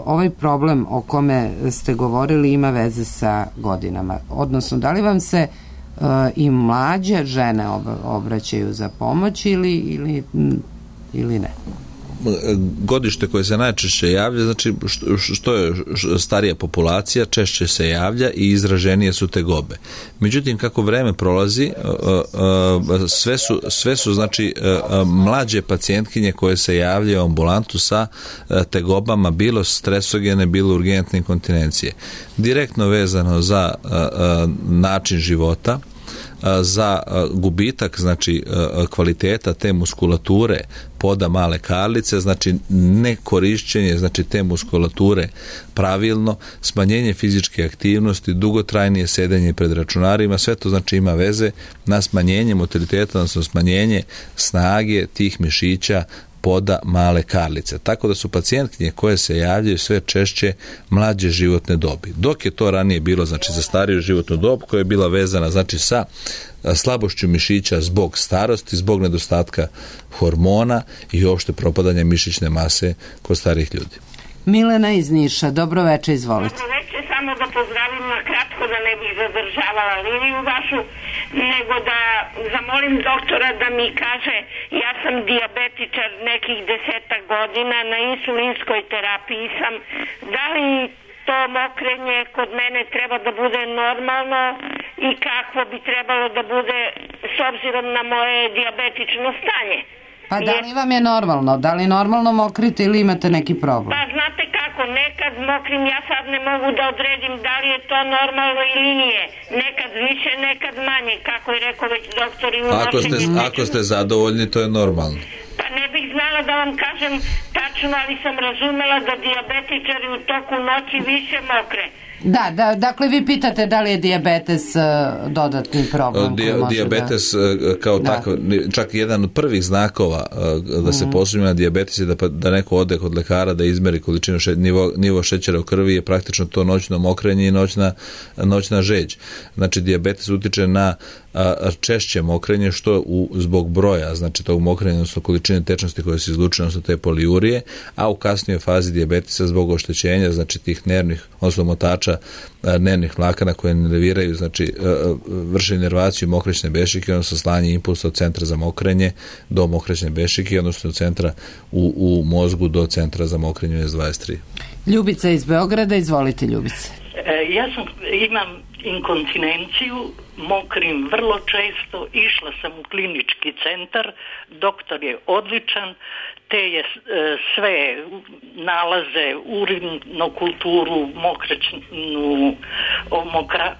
[SPEAKER 1] ovaj problem o kome ste govorili ima veze sa godinama? Odnosno, da li vam se i mlađe žene obraćaju za pomoć ili ne?
[SPEAKER 2] Godište koje se najčešće javlja, znači što je starija populacija, češće se javlja i izraženije su tegobe. Međutim, kako vreme prolazi, sve su znači mlađe pacijentkinje koje se javljaju u ambulantu sa tegobama, bilo stresogene, bilo urgentne inkontinencije. Direktno vezano za način života, za gubitak, znači, kvaliteta te muskulature poda male karlice, znači nekorišćenje, znači, te muskulature pravilno, smanjenje fizičke aktivnosti, dugotrajnije sedenje pred računarima, sve to, znači, ima veze na smanjenje motiliteta, odnosno smanjenje snage tih mišića poda male karlice. Tako da su pacijentkinje koje se javljaju sve češće mlađe životne dobi. Dok je to ranije bilo, znači, za stariju životnu dob koja je bila vezana, znači, sa slabošću mišića zbog starosti, zbog nedostatka hormona i uopšte propadanja mišićne mase kod starih ljudi.
[SPEAKER 1] Milena iz Niša, dobro veče, izvolite.
[SPEAKER 20] Dobro veče, samo da pozdravim na kratko, da ne bih zadržavala liniju vašu, nego da zamolim doktora da mi kaže, ja sam dijabetičar nekih 10 godina, na insulinskoj terapiji sam, da li to mokrenje kod mene treba da bude normalno i kako bi trebalo da bude s obzirom na moje dijabetično stanje?
[SPEAKER 1] Pa da li vam je normalno? Da li normalno mokrite ili imate neki problem?
[SPEAKER 20] Pa znate kako, nekad mokrim, ja sad ne mogu da odredim da li je to normalno ili nije. Nekad više, nekad manje, kako je rekao već doktor.
[SPEAKER 2] Ako ste zadovoljni, to je normalno.
[SPEAKER 20] Pa ne bih znala da vam kažem tačno, ali sam razumela da dijabetičari u toku noći više mokre.
[SPEAKER 1] Da, dakle vi pitate da li je dijabetes dodatni problem.
[SPEAKER 2] Dijabetes kao takav, čak jedan od prvih znakova da se posumnja na dijabetes je da neko ode kod lekara da izmeri količinu nivo šećera u krvi, je praktično to noćno mokrenje i noćna žeđ. Znači dijabetes utiče na češće mokrenje, što zbog broja, znači tog mokrenja, odnosno količine tečnosti koje se izlučuju, odnosno te poliurije, a u kasnijoj fazi dijabetesa zbog oštećenja, znači tih nervnih, odnosno motača nervnih vlakana koje nerviraju, znači vrše inervaciju mokraćne bešike, odnosno slanje impulsa od centra za mokrenje do mokraćne bešike, odnosno od centra u mozgu do centra za mokrenje S23.
[SPEAKER 1] Ljubica iz Beograda, izvolite Ljubice.
[SPEAKER 21] Ja imam inkontinenciju, mokrim vrlo često, išla sam u klinički centar, doktor je odličan, te je sve nalaze, urinnu kulturu,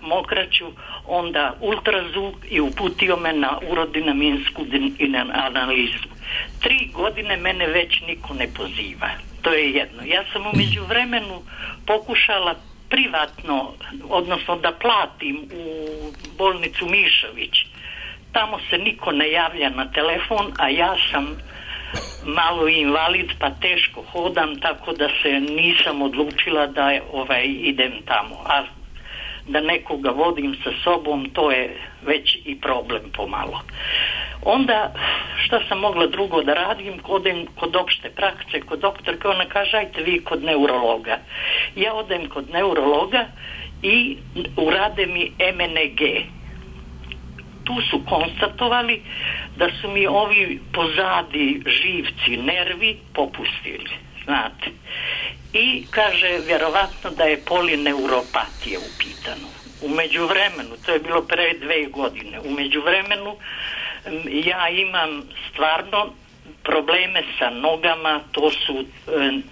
[SPEAKER 21] mokraću, onda ultrazvuk i uputio me na urodinaminsku analizu. 3 godine mene već niko ne poziva. To je jedno. Ja sam u međuvremenu pokušala privatno, odnosno da platim u bolnicu Mišović. Tamo se niko ne javlja na telefon, a ja sam malo invalid pa teško hodam, tako da se nisam odlučila da idem tamo. A da nekoga vodim sa sobom, to je već i problem pomalo. Onda šta sam mogla drugo da radim, odem kod opšte prakse, kod doktorke, ona kaže ajte vi kod neurologa. Ja odem kod neurologa i urade mi MNG. tu su konstatovali da su mi ovi pozadi živci, nervi popustili, znate. I kaže, vjerovatno da je polineuropatija u pitanju. U međuvremenu, to je bilo pre 2 godine, u međuvremenu ja imam stvarno probleme sa nogama, to su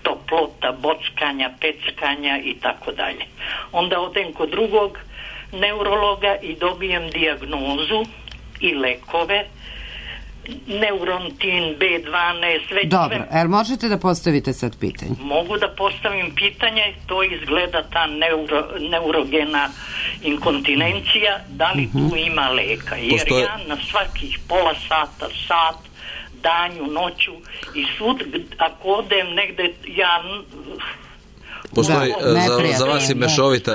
[SPEAKER 21] toplota, bockanja, peckanja i tako dalje. Onda odem kod drugog neurologa i dobijem dijagnozu i lekove, neurontin, B12,
[SPEAKER 1] Dobro, jer možete da postavite sad pitanje?
[SPEAKER 21] Mogu da postavim pitanje, to izgleda ta neurogena inkontinencija, da li tu ima leka? Jer ja na svakih pola sata, sat, danju, noću i svud, ako odem negde, ja...
[SPEAKER 2] Postoji,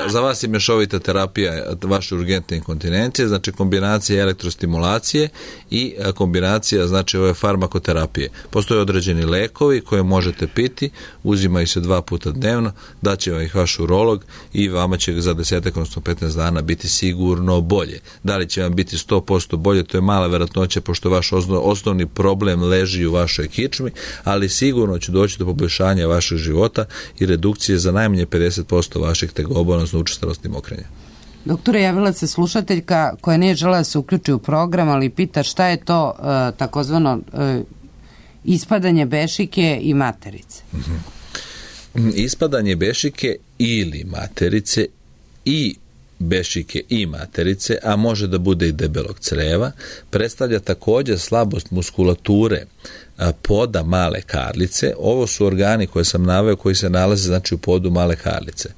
[SPEAKER 2] za vas je mešovita terapija vaše urgentne inkontinencije, znači kombinacija elektrostimulacije i kombinacija, znači ove farmakoterapije. Postoje određeni lekovi koje možete piti, uzimaju se 2 puta dnevno, daće vam ih vaš urolog i vama će za 10, odnosno 15 dana biti sigurno bolje. Da li će vam biti 100% bolje, to je mala verovatnoća, pošto vaš osnovni problem leži u vašoj kičmi, ali sigurno će doći do poboljšanja vašeg života i redukcije za najmanje 50% vaših tegoba, odnosno učestalosti mokrenja.
[SPEAKER 1] Doktore, javila se slušateljka koja nije želela da se uključi u program, ali pita šta je to takozvano ispadanje bešike i materice.
[SPEAKER 2] Ispadanje bešike ili materice i bešike i materice, a može da bude i debelog creva, predstavlja također slabost muskulature poda male karlice. Ovo su organi koje sam naveo koji se nalaze, znači, u podu male karlice.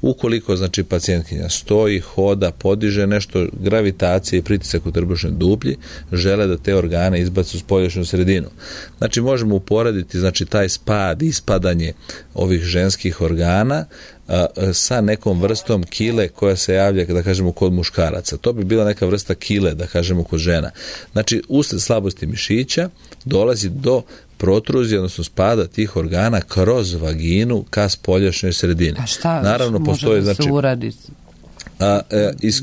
[SPEAKER 2] Ukoliko, znači, pacijentkinja stoji, hoda, podiže nešto, gravitacija i pritisak u trbušnoj duplji, žele da te organe izbacu u spoljašnju sredinu. Znači, možemo uporediti, znači, taj spad, ispadanje ovih ženskih organa sa nekom vrstom kile koja se javlja, da kažemo, kod muškaraca. To bi bila neka vrsta kile, da kažemo, kod žena. Znači, usled slabosti mišića dolazi do protruzije, odnosno spada tih organa kroz vaginu ka spoljašnjoj sredini.
[SPEAKER 1] A šta
[SPEAKER 2] naravno,
[SPEAKER 1] može
[SPEAKER 2] postoji,
[SPEAKER 1] da se uradi?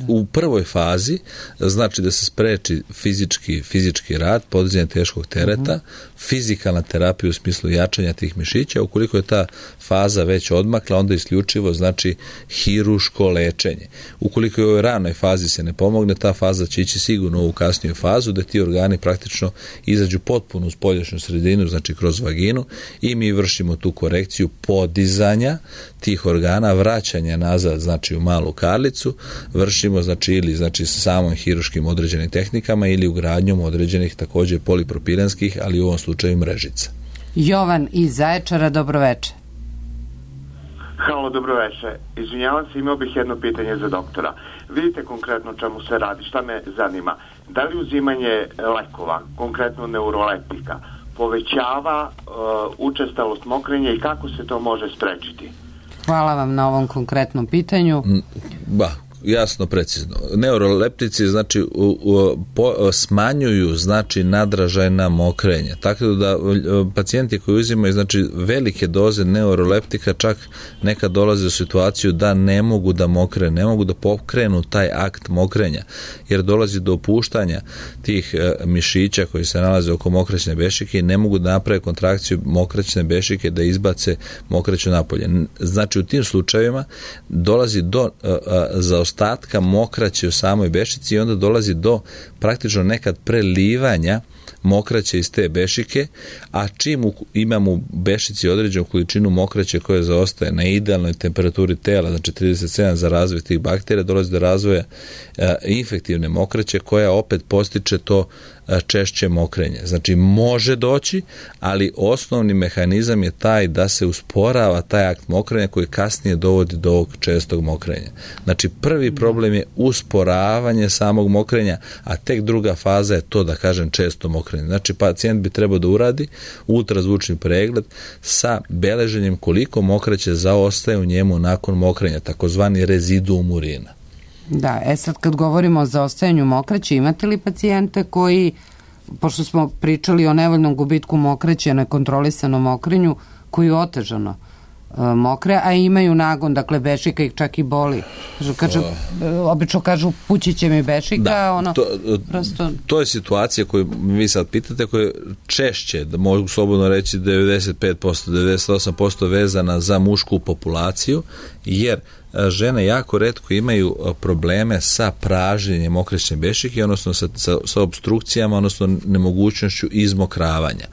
[SPEAKER 2] U prvoj fazi, znači da se spreči fizički rad, podizanje teškog tereta, fizikalna terapija u smislu jačanja tih mišića. Ukoliko je ta faza već odmakla, onda isključivo, znači, hiruško lečenje. Ukoliko je u ovoj ranoj fazi se ne pomogne, ta faza će ići sigurno u kasniju fazu, da ti organi praktično izađu potpuno u spoljašnju sredinu, znači kroz vaginu, i mi vršimo tu korekciju podizanja tih organa, vraćanja nazad, znači, u malu karlicu, vršimo, znači, ili, znači, sa samom hiruškim određenim tehnikama ili ugradnjom određenih također polipropilenskih, ali u ovom slučaju mrežica.
[SPEAKER 1] Jovan iz Zaječara, dobroveče.
[SPEAKER 4] Halo, dobroveče. Izvinjavam se, imao bih jedno pitanje za doktora. Vidite konkretno čemu se radi, šta me zanima. Da li uzimanje lekova, konkretno neuroleptika, povećava učestalost mokrenja i kako se to može sprečiti?
[SPEAKER 1] Hvala vam na ovom konkretnom pitanju.
[SPEAKER 2] Jasno, precizno. Neuroleptici, znači, smanjuju, znači, nadražajna mokrenja. Tako da pacijenti koji uzimaju, znači, velike doze neuroleptika čak nekad dolaze u situaciju da ne mogu da mokre, ne mogu da pokrenu taj akt mokrenja, jer dolazi do opuštanja tih mišića koji se nalaze oko mokraćne bešike i ne mogu da naprave kontrakciju mokraćne bešike da izbace mokraću napolje. Znači, u tim slučajevima dolazi do zaostavljanja ostatka mokraće u samoj bešici i onda dolazi do praktično nekad prelivanja mokraće iz te bešike, a čim imamo u bešici određenu količinu mokraće koja zaostaje na idealnoj temperaturi tela, znači 37 za razvoj tih bakterija, dolazi do razvoja infektivne mokraće koja opet postiče to češće mokrenje. Znači, može doći, ali osnovni mehanizam je taj da se usporava taj akt mokrenja koji kasnije dovodi do ovog čestog mokrenja. Znači, prvi problem je usporavanje samog mokrenja, a tek druga faza je to, da kažem, često mokrenje. Znači, pacijent bi trebao da uradi ultrazvučni pregled sa beleženjem koliko mokraće zaostaje u njemu nakon mokrenja, takozvani reziduum urina.
[SPEAKER 1] Da, sad kad govorimo o zaostajanju mokraće, imate li pacijente koji, pošto smo pričali o nevoljnom gubitku mokraće, nekontrolisanom mokrenju, koji otežano mokre, a imaju nagon, dakle bešika ih čak i boli. Obično kažu pući će mi bešika,
[SPEAKER 2] to je situacija koju vi sad pitate, koja je češće, da mogu slobodno reći 95%, 98% vezana za mušku populaciju, jer žene jako retko imaju probleme sa pražnjenjem okrećne bešike, odnosno sa obstrukcijama, odnosno nemogućnošću izmokravanja.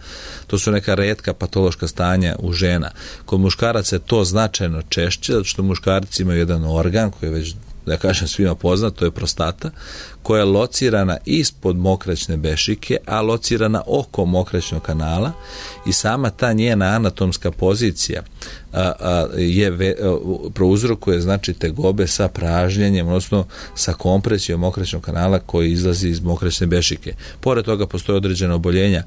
[SPEAKER 2] To su neka retka patološka stanja u žena. Kod muškaraca je to značajno češće, zato što muškarci imaju jedan organ koji je već, da kažem, svima poznat, to je prostata, koja je locirana ispod mokraćne bešike, a locirana oko mokraćnog kanala, i sama ta njena anatomska pozicija prouzrokuje, znači, tegobe sa pražnjenjem, odnosno sa kompresijom mokraćnog kanala koji izlazi iz mokraćne bešike. Pored toga postoje određena oboljenja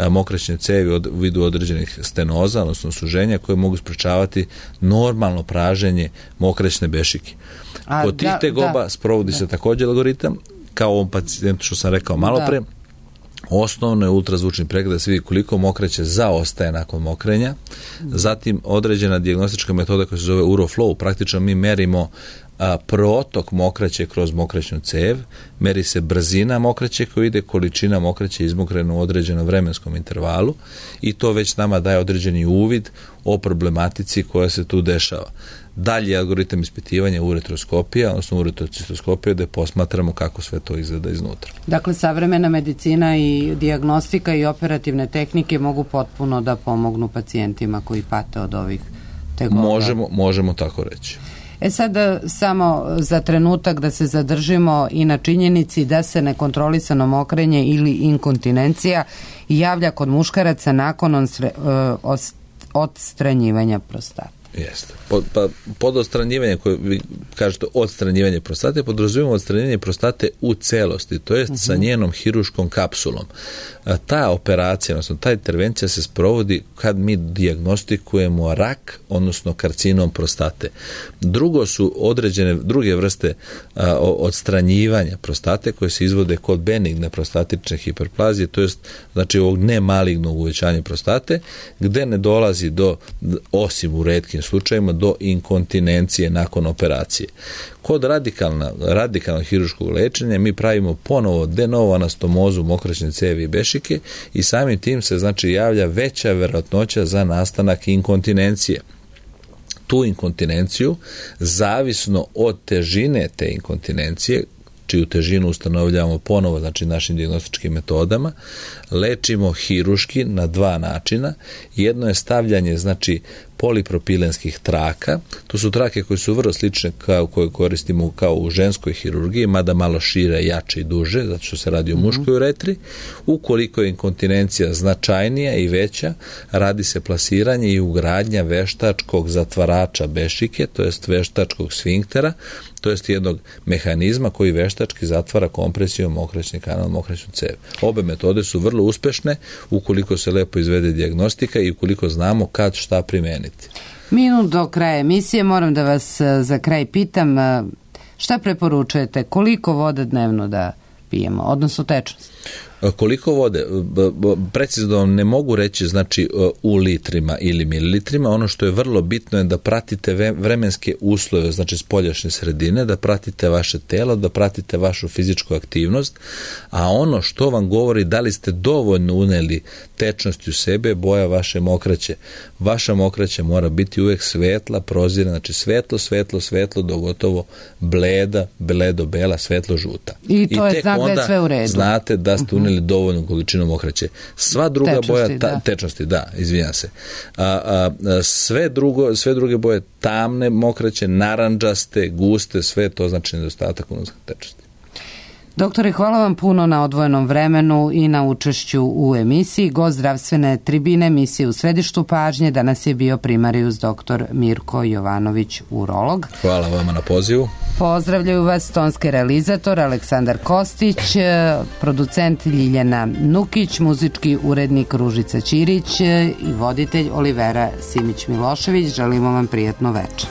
[SPEAKER 2] mokraćne cevi u vidu određenih stenoza, odnosno suženja, koje mogu sprečavati normalno praženje mokraćne bešike. Kod tih tegoba sprovodi se također algoritam, kao ovom pacijentu što sam rekao malo pre. Osnovno je ultrazvučni pregled da se vidi koliko mokraće zaostaje nakon mokrenja. Zatim određena dijagnostička metoda koja se zove uroflow. Praktično mi merimo protok mokraće kroz mokraćnu cev, meri se brzina mokraće koja ide, količina mokraće izmokrena u određenom vremenskom intervalu, i to već nama daje određeni uvid o problematici koja se tu dešava. Dalje algoritam ispitivanja uretroskopija, odnosno uretrocistoskopija, da posmatramo kako sve to izgleda iznutra.
[SPEAKER 1] Dakle, savremena medicina i dijagnostika i operativne tehnike mogu potpuno da pomognu pacijentima koji pate od ovih tegoba.
[SPEAKER 2] Možemo tako reći.
[SPEAKER 1] Sad samo za trenutak da se zadržimo i na činjenici da se nekontrolisano mokrenje ili inkontinencija javlja kod muškaraca nakon odstranjivanja prostate.
[SPEAKER 2] Jeste. Pod odstranjivanje, koje vi kažete odstranjivanje prostate, podrazumijemo odstranjivanje prostate u celosti, to jest sa njenom hiruškom kapsulom. Ta operacija, odnosno ta intervencija se sprovodi kad mi dijagnostikujemo rak, odnosno karcinom prostate. Drugo su određene druge vrste odstranjivanja prostate koje se izvode kod benigne prostatične hiperplazije, to jest, znači, ovog nemalignog uvećanja prostate, gde ne dolazi do, osim u retkim slučajima, do inkontinencije nakon operacije. Kod radikalnog hiruškog lečenja mi pravimo ponovo de novo anastomozu mokraćne cevi i bešike, i samim tim se, znači, javlja veća verovatnoća za nastanak inkontinencije. Tu inkontinenciju, zavisno od težine te inkontinencije, čiju težinu ustanovljavamo ponovo, znači, našim dijagnostičkim metodama, lečimo hiruški na dva načina. Jedno je stavljanje, znači, polipropilenskih traka. To su trake koje su vrlo slične kao koje koristimo kao u ženskoj hirurgiji, mada malo šire, jače i duže, zato što se radi o muškoj uretri. Ukoliko je inkontinencija značajnija i veća, radi se plasiranje i ugradnja veštačkog zatvarača bešike, to jest veštačkog sfinktera, to jest jednog mehanizma koji veštački zatvara kompresijom mokraćni kanal, mokraćnu cev. Obe metode su vrlo uspešne ukoliko se lepo izvede dijagnostika i ukoliko znamo kad šta primeniti.
[SPEAKER 1] Minut do kraja emisije, moram da vas za kraj pitam, šta preporučujete, koliko vode dnevno da pijemo, odnosno tečnost?
[SPEAKER 2] Koliko vode? Precizno ne mogu reći, znači, u litrima ili mililitrima. Ono što je vrlo bitno je da pratite vremenske uslove, znači spoljašnje sredine, da pratite vaše telo, da pratite vašu fizičku aktivnost, a ono što vam govori da li ste dovoljno uneli tečnosti u sebe, boja vaše mokraće. Vaša mokraća mora biti uvek svetla, prozirna, znači svetlo, do gotovo bleda, bledo-bela, svetlo-žuta.
[SPEAKER 1] I to je znak da je sve u redu.
[SPEAKER 2] Znate da ste uneli dovoljnu količinu mokraće. Sva druga tečnosti, izvinjam se. Sve druge boje, tamne mokraće, narandžaste, guste, sve to znači nedostatak unutra tečnosti.
[SPEAKER 1] Doktore, hvala vam puno na odvojenom vremenu i na učešću u emisiji. Gost zdravstvene tribine emisije U središtu pažnje danas je bio primarijus dr. Mirko Jovanović, urolog.
[SPEAKER 2] Hvala vama na pozivu.
[SPEAKER 1] Pozdravljaju vas tonski realizator Aleksandar Kostić, producent Ljiljana Nukić, muzički urednik Ružica Ćirić i voditelj Olivera Simić-Milošević. Želimo vam prijatno večer.